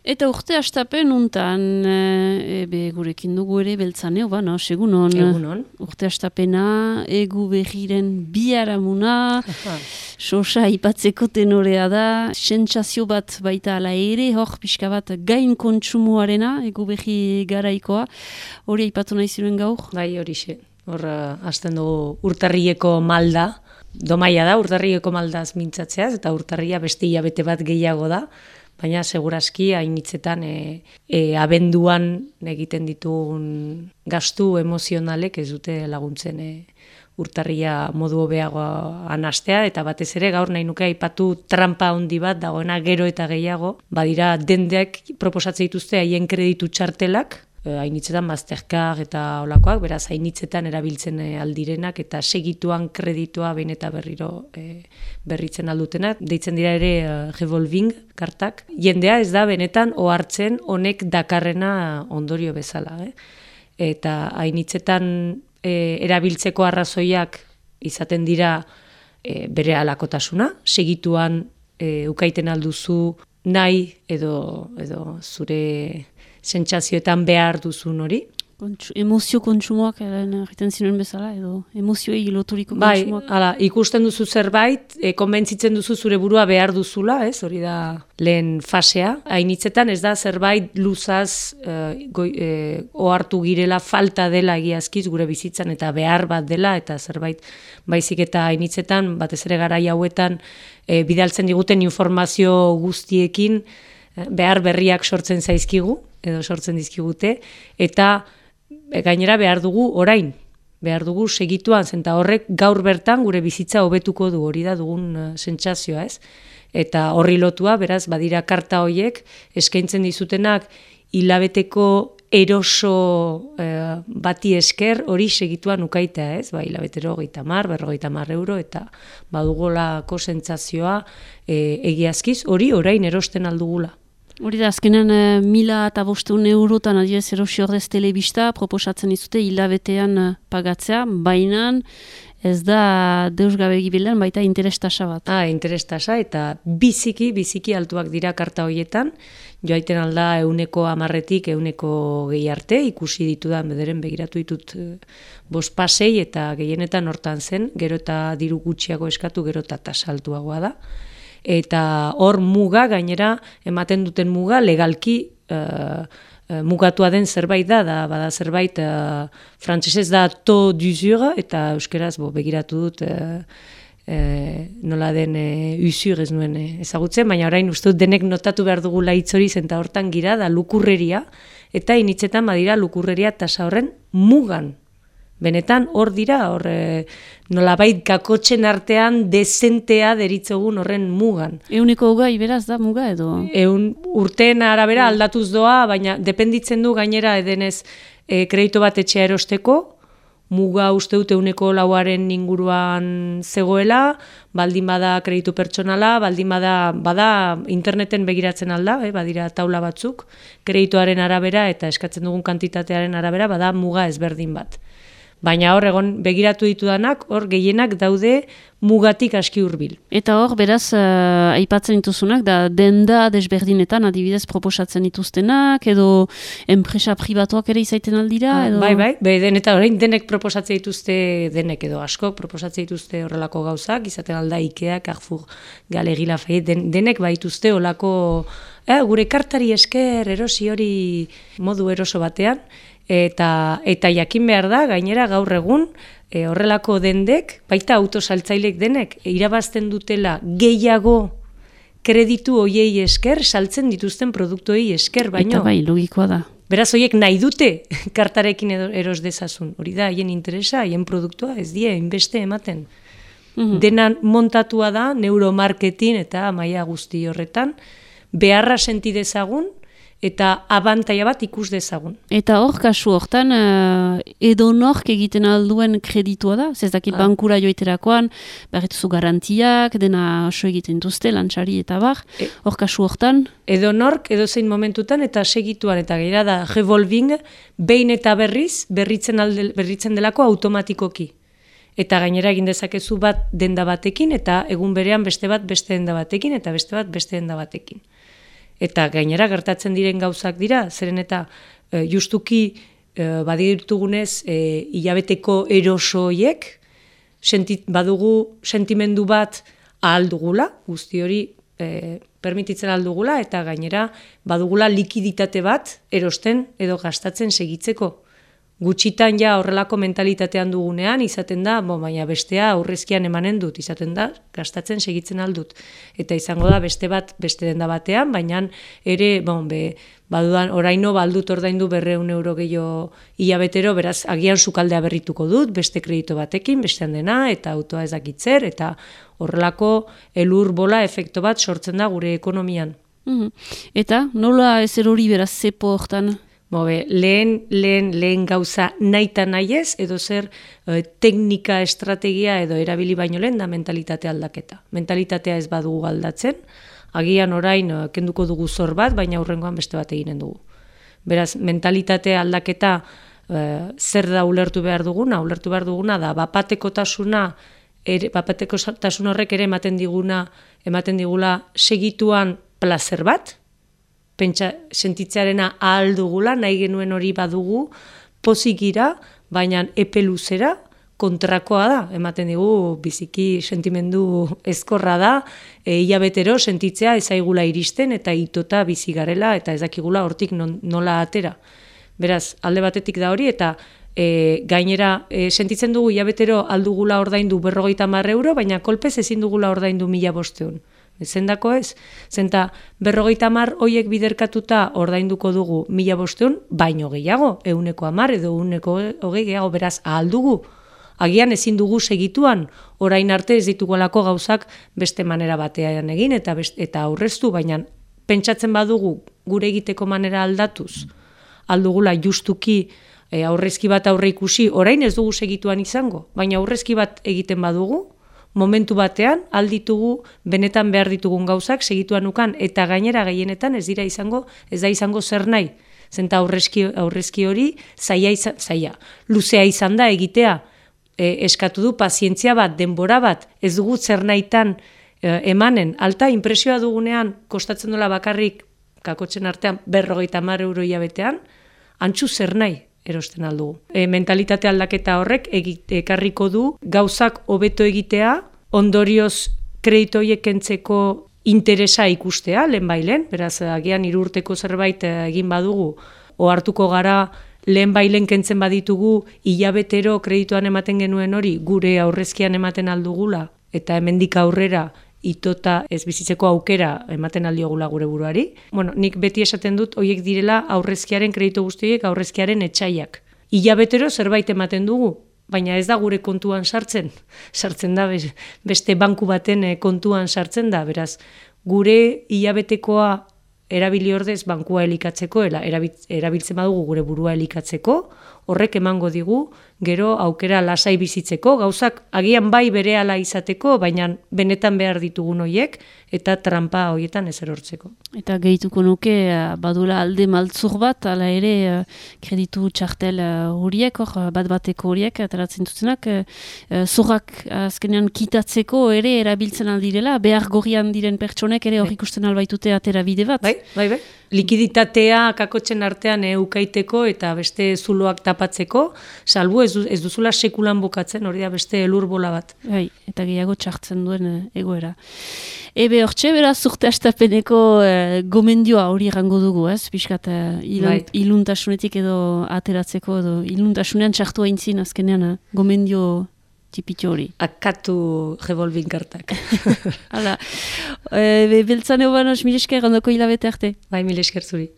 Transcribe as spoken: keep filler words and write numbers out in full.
Eta urte astapen untan, e, be gurekin dugu ere beltzaneo, ba, no, segunon. Egunon. Urte astapena, egu berriren biaramuna, sosa ipatzeko tenorea da, sentsazio bat baita ala ere, hor pixka bat gain kontsumoarena, egu berri garaikoa, hori aipatu nahi ziren gaur? Bai, horixe. Hor, uh, hasten dugu urtarrieko malda, domaia da, urtarrieko maldaz mintzatzeaz, eta urtarria beste hilabete bat gehiago da, baina segurazki hainitzetan e, e, abenduan egiten ditugun gastu emozionalek ez dute laguntzen e, urtarria modu hobeagoan hastea, eta batez ere gaur nahi nuke aipatu trampa handi bat dagoena gero eta gehiago, badira dendeak proposatzen dituzte haien kreditu txartelak, hainitzetan Mastercard eta olakoak, beraz hainitzetan erabiltzen aldirenak eta segituan kreditua behin eta berriro e, berritzen aldutenak. Deitzen dira ere uh, revolving kartak. Jendea ez da benetan ohartzen honek dakarrena ondorio bezala. Eh? Eta hainitzetan e, erabiltzeko arrazoiak izaten dira e, bere halakotasuna, segituan e, ukaiten alduzu nahi edo, edo zure sentsazioetan behar duzun hori. Kontsu, emozio kontsumoak egiten zinuen bezala, edo emozioei loturiko kontsumoak. Bai, hala, ikusten duzu zerbait, e, konbentzitzen duzu zure burua behar duzula, ez, hori da lehen fasea. Hainitzetan ez da zerbait luzaz e, goi, e, ohartu girela falta dela egiazkiz gure bizitzan eta behar bat dela, eta zerbait baizik eta hainitzetan, batez ere garai hauetan, e, bidaltzen diguten informazio guztiekin, behar berriak sortzen zaizkigu, edo sortzen dizkigute, eta gainera behar dugu orain, behar dugu segituan, zenta horrek gaur bertan gure bizitza hobetuko du, hori da dugun uh, sentsazioa, ez? Eta horri lotua, beraz, badira karta horiek, eskaintzen dizutenak hilabeteko eroso uh, bati esker hori segituan ukaitea, ez? Ba, hilabetero hogeita hamar, berrogeita hamar euro, eta badugolako sentsazioa e, egiazkiz, hori orain erosten aldugula. Hori da, azkenan eh, mila eta bosteun eurotan adibidez erosi ordez telebista proposatzen izute hilabetean eh, pagatzea, baina ez da deus gabe gibilean baita interestasa bat. Ah, interestasa eta biziki, biziki altuak dira karta horietan, joaiten alda euneko amarretik euneko gehi arte, ikusi ditudan bederen begiratu ditut eh, bost pasei eta gehienetan hortan zen, gero eta diru gutxiago eskatu, gero eta tasa altuagoa da. Eta hor muga, gainera, ematen duten muga, legalki uh, uh, mugatua den zerbait da, da bada zerbait, uh, frantsesez da taux d'usure, eta euskeraz bo, begiratu dut uh, uh, nola den uh, usure ez nuen uh, ezagutzen, baina orain uste dut denek notatu behar dugula hitz hori zenta hortan gira, da lukurreria, eta initzetan badira lukurreria tasa horren mugan. Benetan hor dira, hor e, nolabait kakotxen artean dezentea deritzogun horren mugan. Euneko hogei beraz da muga edo? Eun urteen arabera aldatuz doa, baina dependitzen du gainera edenez e, kredito bat etxea erosteko, muga uste dute euneko lauaren inguruan zegoela, baldin bada kreditu pertsonala, baldin bada, bada interneten begiratzen alda, eh, badira taula batzuk, kreditoaren arabera eta eskatzen dugun kantitatearen arabera, bada muga ezberdin bat. Baina hor egon begiratu ditudanak, hor gehienak daude mugatik aski hurbil. Eta hor, beraz, uh, aipatzen dituzunak, da denda desberdinetan adibidez proposatzen dituztenak, edo enpresa pribatuak ere izaiten aldira? Edo... Bai, bai, be, den eta orain denek proposatzen dituzte, denek edo askok proposatzen dituzte horrelako gauzak, izaten alda Ikea, Carrefour, Galegi Lafayette, den, denek baituzte horrelako, eh, gure kartari esker erosi hori modu eroso batean, Eta, eta jakin behar da, gainera gaur egun, e, horrelako dendek, baita autosaltzailek denek, e, irabazten dutela gehiago kreditu hoiei esker, saltzen dituzten produktuei esker, baino. Eta bai, logikoa da. Beraz, hoiek nahi dute kartarekin eros dezazun. Hori da, haien interesa, haien produktua, ez die, inbeste ematen. Mm-hmm. Dena montatua da, neuromarketing eta maila guzti horretan, beharra senti dezagun, eta abantaia bat ikus dezagun. Eta hor, kasu hortan, uh, edo nork egiten alduen kreditua da? Zezaki ah. bankura joiterakoan, barretuzu garantiak, dena oso egiten duzte, lantxari eta bar. E, hor, kasu hortan? Edo nork, edo zein momentutan, eta segituan, eta gaira da, revolving, behin eta berriz, berritzen, alde, berritzen delako automatikoki. Eta gainera egin dezakezu bat denda batekin, eta egun berean beste bat beste denda batekin, eta beste bat beste denda batekin. Eta gainera gertatzen diren gauzak dira, zeren eta e, justuki e, badirtugunez e, hilabeteko erosoiek, sentit, badugu sentimendu bat ahal dugula, guzti hori e, permititzen ahal dugula, eta gainera badugula likiditate bat erosten edo gastatzen segitzeko. Gutxitan ja horrelako mentalitatean dugunean, izaten da, bo, baina bestea aurrezkian emanen dut, izaten da, gastatzen segitzen aldut. Eta izango da beste bat, beste denda batean, baina ere, bon, be, badudan, oraino baldut ordaindu berreun euro gehiago hilabetero, beraz, agian sukaldea berrituko dut, beste kredito batekin, bestean dena, eta autoa ez dakitzer, eta horrelako elur bola efekto bat sortzen da gure ekonomian. Mm-hmm. Eta nola ez erori beraz zepo hortan? Bobe, lehen, lehen, lehen gauza naita nahiez, edo zer e, teknika, estrategia edo erabili baino lehen da mentalitate aldaketa. Mentalitatea ez badugu aldatzen, agian orain e, kenduko dugu zor bat, baina hurrengoan beste bat eginen dugu. Beraz, mentalitate aldaketa e, zer da ulertu behar duguna? Ulertu behar duguna da, bapatekotasuna, ere, bapatekotasun horrek ere ematen diguna, ematen digula segituan plazer bat, pentsa sentitzearena ahal dugula, nahi genuen hori badugu, pozigira, baina epe luzera kontrakoa da. Ematen digu biziki sentimendu ezkorra da, e, hilabetero sentitzea ezaigula iristen eta itota bizi garela eta ez dakigula hortik non, nola atera. Beraz, alde batetik da hori eta e, gainera e, sentitzen dugu hilabetero aldugula ordaindu berrogeita hamar euro, baina kolpez ezin dugula ordaindu mila bosteun. Zendako ez? Zenta berrogeita hamar hoiek biderkatuta ordainduko dugu mila bosteun, baino gehiago, euneko hamar edo euneko hogei gehiago, beraz ahal dugu. Agian ezin dugu segituan, orain arte ez ditugolako gauzak beste manera batean egin eta best, eta aurreztu, baina pentsatzen badugu gure egiteko manera aldatuz, aldugula justuki e, aurrezki bat aurre ikusi, orain ez dugu segituan izango, baina aurrezki bat egiten badugu, momentu batean alditugu benetan behar ditugun gauzak segituan ukan eta gainera gehienetan ez dira izango, ez da izango zer nahi. Zenta aurrezki, aurrezki hori zaila, izan, zaila. Luzea izan da egitea, e, eskatu du pazientzia bat, denbora bat, ez dugu zer nahitan e, emanen. Alta inpresioa dugunean kostatzen dola bakarrik kakotzen artean berrogeita hamar euro hilabetean, antzu zer nahi erosten aldugu. E, mentalitate aldaketa horrek ekarriko du gauzak hobeto egitea, ondorioz kredito horiek kentzeko interesa ikustea, lehen bailen, beraz agian hiru urteko zerbait egin badugu, ohartuko gara lehen bailen kentzen baditugu hilabetero kreditoan ematen genuen hori, gure aurrezkian ematen aldugula, eta hemendik aurrera itota ez bizitzeko aukera ematen aldiogula gure buruari. Bueno, nik beti esaten dut hoiek direla aurrezkiaren kredito guztiek aurrezkiaren etxaiak. Hilabetero zerbait ematen dugu, baina ez da gure kontuan sartzen. Sartzen da beste banku baten kontuan sartzen da, beraz gure hilabetekoa erabili ordez bankua elikatzeko, erabiltzen badugu gure burua elikatzeko, horrek emango digu, gero aukera lasai bizitzeko, gauzak agian bai berehala izateko, baina benetan behar ditugun hoiek, eta trampa hoietan ez erortzeko. Eta gehituko nuke, badula alde maltzur bat, ala ere kreditu txartel horiek, hor, bat bateko horiek, ateratzen dutenak, zorrak azkenean kitatzeko ere erabiltzen aldirela, behar gorrian diren pertsonek ere hor ikusten albaitute atera bide bat. Bai, bai, bai. Likiditatea kakotzen artean eukaiteko eta beste zuloak tapatzeko, salbu ez, du, ez duzula sekulan bukatzen, hori da beste elurbola bat. Bai, eta gehiago txartzen duen egoera. Ebe hortxe, beraz, urte astapeneko eh, gomendioa hori errango dugu, ez? Piskat, eh, ilun, bai. Iluntasunetik edo ateratzeko, edo iluntasunean txartu haintzin azkenean eh, gomendio tipitxo hori. Akatu revolving kartak. Hala, e, beltzan egon, mil esker, ondoko hilabete arte. Bai, mil esker zuri.